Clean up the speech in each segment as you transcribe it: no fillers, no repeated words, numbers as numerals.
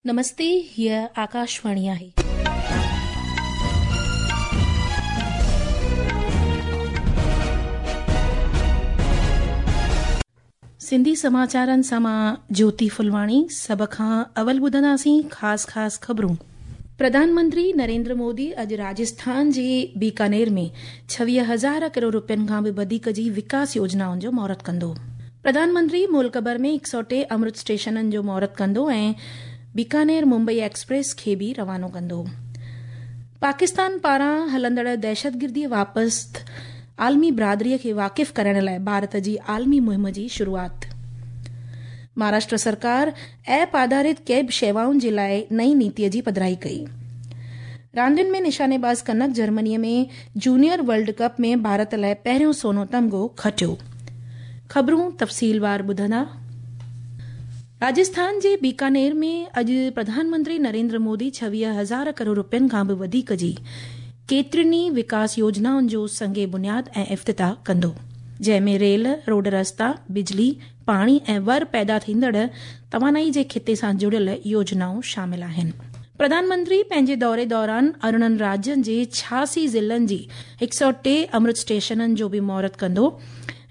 نمستي هيء آڪاشواڻي آهي. سنڌي سماچارن سان مان جوتي ڦلواڻي سڀ کان اول ٻڌنداسين خاص خاص خبرون. پرڌان منتري نريندر مودي اڄ راجسٿان جي بيڪانير ۾ ڇويهه هزار ڪروڙ روپين کان به وڌيڪ جي وڪاس يوجنائن جو مهورت ڪندو. پرڌان منتري ملڪ ڀر ۾ هڪ سؤ ٽي امرت اسٽيشنن جو مهورت ڪندو ۽ بيڪانير ممبئي ايڪسپريس کي به روانو ڪندو. پاڪستان پاران هلندڙ دهشتگردي واپست عالمي برادري کي واقف ڪرائڻ لاء ڀارت جي عالمي مهم جي شروعات. مهاراشٽر سرڪار ايپ آڌارت ڪيب شيوائن جي لاء نئين نيتي جي پڌرائي ڪئي. راندين ۾ نشاني باز Kanak Germany ۾ junior world cup ۾ Bharat لاء پهريون سونو تمغو کٽيو. خبرون تفصيلوار ٻڌندا. راجسٿان جي بيڪانير ۾ اڄ پرڌان منتري نريندر مودي ڇويهه هزار ڪروڙ روپين کان به وڌيڪ جي ڪيترين ئي وڪاس يوجنائن جو سنگ بنياد ۽ افتتاح ڪندو جنهن ۾ ريل، روڊ رستا، بجلي، پاڻي ۽ ور پيدا ٿيندڙ توانائي جي خطي سان جڙيل يوجنائون شامل آهن. پرڌان منتري پنهنجي دوري دوران ارڙهن راجين جي ڇهاسي ضلعن جي هڪ سؤ ٽي امرت اسٽيشنن جو به مهورت ڪندو.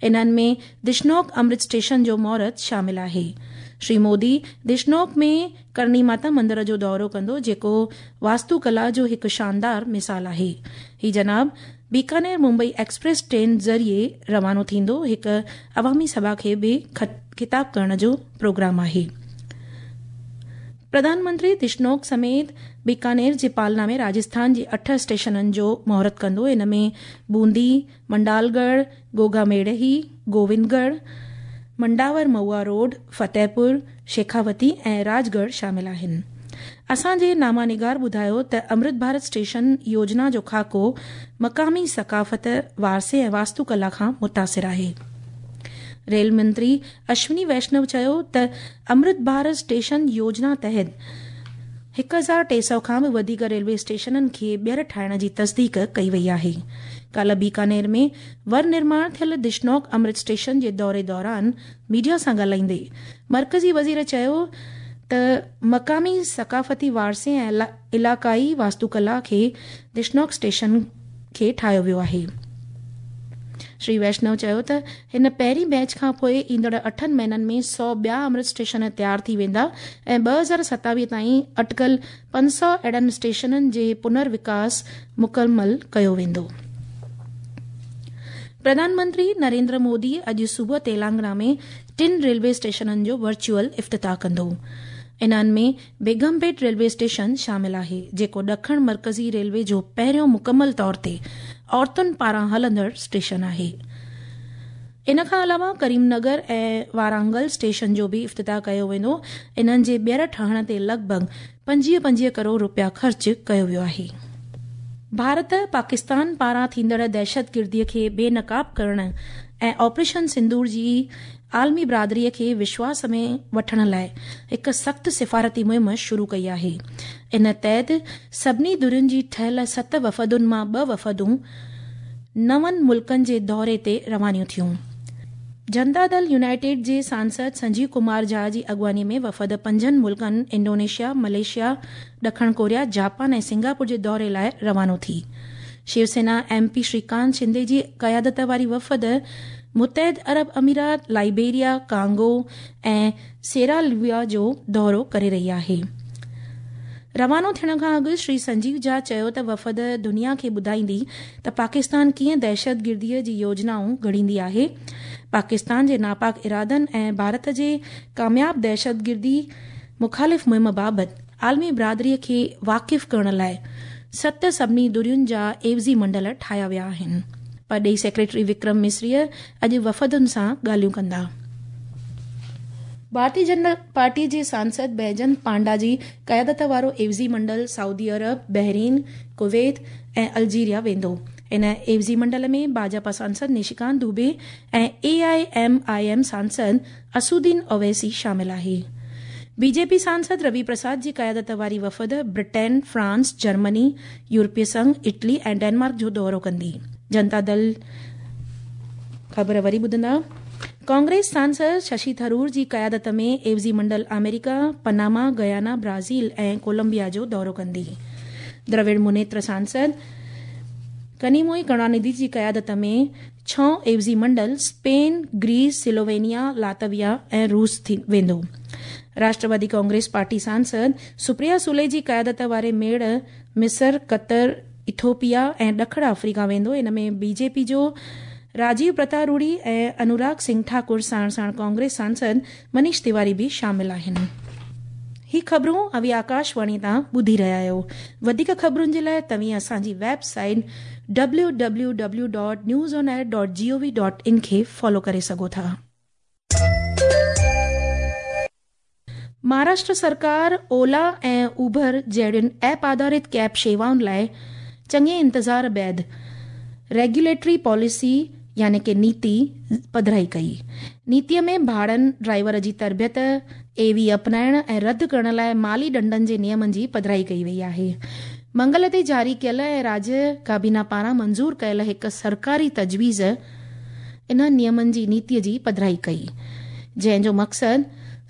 انهن ۾ دشنوڪ امرت اسٽيشن جو مهورت شامل آهي. شري مودي دشنوڪ ۾ ڪرڻي ماتا مندر جو دورو ڪندو جيڪو واستو ڪلا جو هڪ شاندار مثال آهي. هي جناب بيڪانير ممبئي ايڪسپريس ٽرين ذريعي روانو ٿيندو هڪ عوامي سڀا کي به خطاب ڪرڻ جو پروگرام آهي. پرڌان منتري دشنوڪ سميت بيڪانير جي پالنا ۾ راجسٿان جي اٺ اسٽيشنن جو مهورت ڪندو ان ۾ بوندي، منڊالڳڙهه، گوگا ميڙهي، گووندڳڙهه، منڊاور مئوا روڊ، فتح پور، شيخاوتي ۽ راجڳڙهه شامل آهن. اسان جي نامه نگار ٻڌايو ته امرت ڀارت اسٽيشن يوجنا جو خاڪو مقامي ثقافت، وارثي ۽ واستو ڪلا کان متاثر آهي. ريل منتري اشوني ويشنو چيو ته امرت ڀارت اسٽيشن يوجنا تحت هڪ هزار ٽي سؤ کان به وڌيڪ ريلوي اسٽيشنن کي ٻيهر ٺاهڻ جي تصديق ڪئي وئي آهي. ڪالهه بيڪانير ۾ ور نرماڻ ٿيل دشنوڪ امرت اسٽيشن جي دوري دوران ميڊيا سان ڳالهائيندي مرڪزي وزير چيو ته مقامي ثقافتي وارثي ۽ علائقائي واستوڪلا کي دشنوڪ اسٽيشن کي ٺاهيو ويو آهي. شري ويشنو چيو ته هن پهرين بيچ کان پوء ايندڙ اٺن مهينن ۾ سؤ ٻيا امرت اسٽيشن تيار ٿي ويندا ۽ 2027 تائين اٽڪل 500 اهڙن اسٽيشنن جي پنر وڪاس مڪمل ڪيو ويندو. پرڌان منتري نريندر مودي اڄ صبح تيلانگنا ۾ ٽن ريلوي اسٽيشنن جو ورچوئل افتتاح ڪندو. انهن ۾ بيگم پيٽ ريلوي اسٽيشن شامل آهي، جيڪو ڏکڻ مرڪزي ريلوي جو پهريون مڪمل طور تي عورتن پاران هلندڙ اسٽيشن آهي. ان کان علاوه ڪريم نگر ۽ وارانگل اسٽيشن جو به افتتاح ڪيو ويندو. انهن جي ٻيهر ٺهڻ تي لڳ ڀڳ پنجويهه پنجويهه ڪروڙ روپيا خرچ ڪيو ويو آهي. ڀارت پاڪستان پاران ٿيندڙ دهشتگردي کي بي نقاب ڪرڻ ۽ آپريشن سندور جي عالمي برادري کي وشواس ۾ وٺڻ لاء هڪ سخت سفارتي مهم شروع ڪئي آهي. ان تحت سڀني ڌرين جي ٺهيل ست وفدن مان ٻه وفدون نون ملڪن جي دوري تي روانيون ٿيون. جنتا دل يونائيٽيڊ جي سانسد سنجيو ڪمار جها جي اڳواڻي ۾ وفد پنجن ملڪن انڊونيشيا، ملائيشيا، ڏکڻ ڪوريا، جاپان ۽ سنگاپور جي دوري لاء روانو ٿي. شيو سينا ايم پي شريڪانت شندي جي قيادت واري وفد متحد عرب امارات، لائبيريا، ڪانگو ۽ سيراليون جو دورو ڪري رهي آهي. روانو ٿيڻ کان اڳ شري سنجيو جها چيو ته وفد دنيا کي ٻڌائيندي ته پاڪستان ڪيئن دهشتگردي جي يوجنائون گهڙيندي آهي، پاڪستان جي ناپاڪ ارادن ۽ ڀارت جي ڪامياب دهشتگردي مخالف مهم بابت عالمي برادري کي واقف ڪرڻ لاء ست سڀني ڌرين جا عيوضي منڊل ٺاهيا ويا آهن. پرڏيهي سيڪريٽري وڪرم مصري اڄ وفدن سان ڳالهيون ڪندا. ڀارتي جنتا پارٽي جي سانسد بيجنت پانڊا جي قيادت وارو عيوضي منڊل سعودي عرب، بحرين، ڪويت ۽ الجيريا ويندو. ان عيوضي منڊل ۾ ڀاجپا سانسد نشيڪانت دوبي ۽ اي I M I M Sansad اسدالدين Owaisi شامل آهي. بي جي پي سانسد روي پرساد جي قيادت واري وفد برٽين، فرانس، جرمني، يورپي سنگهه، اٽلي ۽ ڊينمارڪ جو دورو ڪندي. جنتا دل خبر وري ٻڌندا. ڪانگريس سانسد ششي ٿرور جي قيادت ۾ عيوضي منڊل آمريڪا، پناما، گيانا، برازيل ۽ ڪولمبيا جو دورو ڪندي. دراوڙ منيتر سانسد ڪنيموئي ڪرڻانڌي جي قيادت ۾ ڇهون عيوضي منڊل اسپين، گريس، سلووينيا، لاتويا ۽ روس ويندو. راشٽروادي ڪانگريس پارٽي سانسد سپريا سولي جي قيادت واري ميڙ مصر، قطر، ايٿوپيا ۽ ڏکڻ آفريڪا ويندو. ان ۾ بي جي پي جو راجيو پرتاپ روڊي ۽ انوراگ سنگهه ٺاڪر ساڻ ساڻ ڪانگريس سانسد منيش تيواري به شامل آهن. هي خبرون اوهين آڪاشواڻي تان ٻڌي رهيا آهيو. وڌيڪ خبرن جي لاء توهين اسان جي web site W W W dot news on air dot G O V dot in کي فالو ڪري سگهو ٿا. مهاراشٽر سرڪار اولا ۽ اوبر جهڙين ايپ آڌارت ڪيب شيوائن لاء چڱي انتظار بعد ريگيوليٽري پاليسي يعني ڪي نيتي پڌرائي ڪئي. نيتي ۾ ڀاڙن، ڊرائيور جي تربيت، اي وي اپنائڻ ۽ رد ڪرڻ لاء مالي ڏنڊن جي نيمن جي پڌرائي ڪئي وئي آهي. منگل تي جاري ڪيل ۽ راجيه ڪابينا پاران منظور ڪيل هڪ سرڪاري تجويز انهن نيمن جي نيتي جي پڌرائي ڪئي، جنهن جو مقصد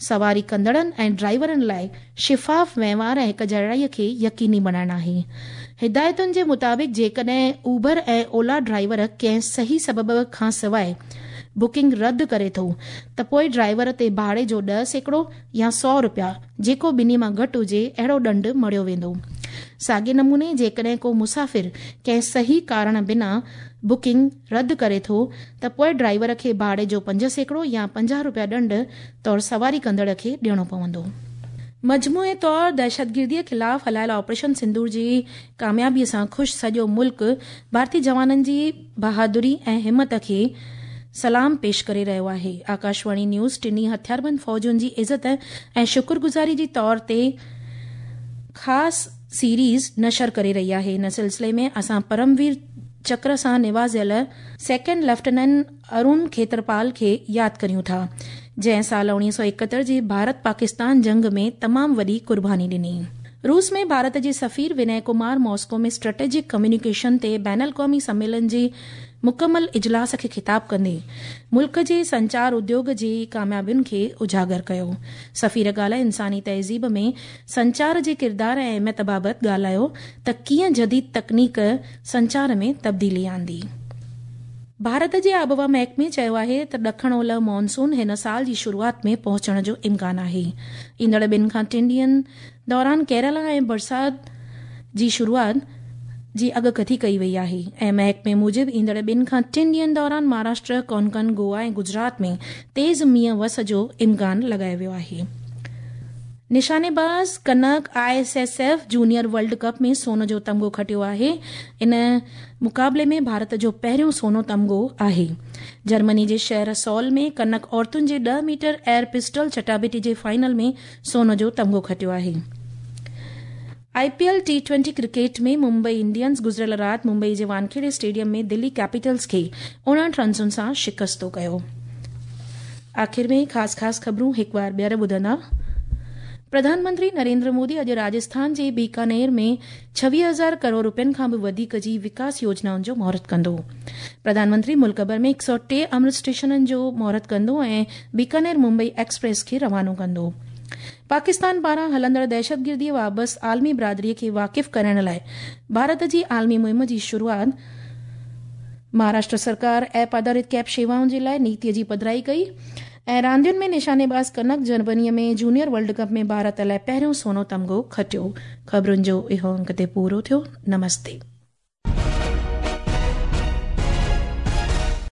سواري ڪندڙن ۽ ڊرائيورن لاء شفاف وهنوار ۽ هڪجهڙائي کي يقيني بڻائڻ آهي. هدايتن جي مطابق جيڪڏهن اوبر ۽ اولا ڊرائيور ڪنهن صحيح سبب کان سواء بڪنگ رد ڪري ٿو ته پوء ڊرائيور تي ڀاڙي جو 10% يا سؤ رپيا جيڪو ٻنهي مان گهٽ هجي اهڙو ڏنڊ مڙهيو ويندو. ساڳئي نموني جيڪڏهن ڪو مسافر ڪنهن صحيح ڪارڻ بنا بڪنگ رد ڪري ٿو ته پوء ڊرائيور کي ڀاڙي جو 5% يا 50 رپيا ڏنڊ طور سواري ڪندڙ کي ڏيڻو پوندو. مجموعي طور دهشتگردي خلاف هلايل آپريشن سندور جي ڪاميابي سان خوش سڄو ملڪ ڀارتي جوانن جي بهادري ۽ همت کي سلام پيش ڪري رهيو آهي. آڪاشواڻي نيوز ٽنهي هٿياربند فوجن جي عزت ۽ شڪرگذاري جي طور تي خاص سيريز نشر ڪري رهي آهي. ان سلسلي ۾ اسان پرم وير چڪر سان نوازيل سيڪنڊ ليفٽيننٽ ارون کيترپال کي ياد ڪريون ٿا، جنهن سال 1971 جي ڀارت پاڪستان جنگ ۾ تمام وڏي قرباني ڏني. روس ۾ ڀارت جي سفير ونئي ڪمار ماسڪو ۾ اسٽريٽجڪ ڪميونيڪيشن تي بين الاقوامي سميلن جي مڪمل اجلاس کي خطاب ڪندي ملڪ جي سنچار اديوگ جي ڪاميابين کي اجاگر ڪيو. سفير ڳالهه انساني تهذيب ۾ سنچار جي ڪردار ۽ اهميت بابت ڳالهايو ته ڪيئن جديد تڪنيڪ سنچار ۾ تبديلي آندي. ڀارت جي آبهوا محڪمي چيو آهي ته ڏکڻ اولهه مانسون هن سال جي شروعات ۾ پهچڻ جو امڪان آهي. ايندڙ ٻن کان ٽن ڏينهن دوران ڪيرالا ۽ برسات جي شروعات جي اڳڪٿي ڪئي وئي آهي ۽ محڪمي موجب ايندڙ ٻن کان ٽن ڏينهن دوران مهاراشٽر، ڪونڪن، گوا ۽ گجرات ۾ تيز مينهن وس جو امڪان لڳايو ويو آهي. نشانيباز Kanak I S S F junior world cup ۾ سون جو تمغو کٽيو آهي. ان مقابلي ۾ ڀارت جو پهريون سونو تمغو آهي. جرمني جي شهر سول ۾ ڪنڪ عورتن جي ڏهه ميٽر ايئر پسٽل چٽاڀيٽي جي فائنل ۾ سون جو تمغو کٽيو آهي. I P L T twenty cricket ۾ Mumbai Indians گذريل رات ممبئي جي وانکيڙي اسٽيڊيم ۾ دلي ڪيپيٽلز کي 59 رنسن سان شڪستو ڪيو. آخر ۾ خاص خاص خبرون هڪ وار ٻيهر ٻڌندا. پرڌان منتري نريندر مودي اڄ راجسٿان جي بيڪانير ۾ 26,000 ڪروڙ روپين کان به وڌيڪ جي وڪاس يوجنائن جو مهورت ڪندو. پرڌان منتري ملڪ ڀر ۾ 103 امرت اسٽيشنن جو مهورت ڪندو ۽ بيڪانير ممبئي ايڪسپريس کي روانو ڪندو. پاڪستان پاران هلندڙ دهشتگردي بابت عالمي برادري کي واقف ڪرائڻ لاء ڀارت جي عالمي مهم جي شروعات. مهاراشٽر سرڪار ايپ آڌارت ڪيب شيوائن جي لاء نيتي جي پڌرائي ڪئي ۽ راندين ۾ نشانيباز Kanak Germany ۾ junior world cup ۾ Bharat لاء پهريون سونو تمغو کٽيو. خبرن جو اهو انڪ تي پورو ٿيو. نمستي.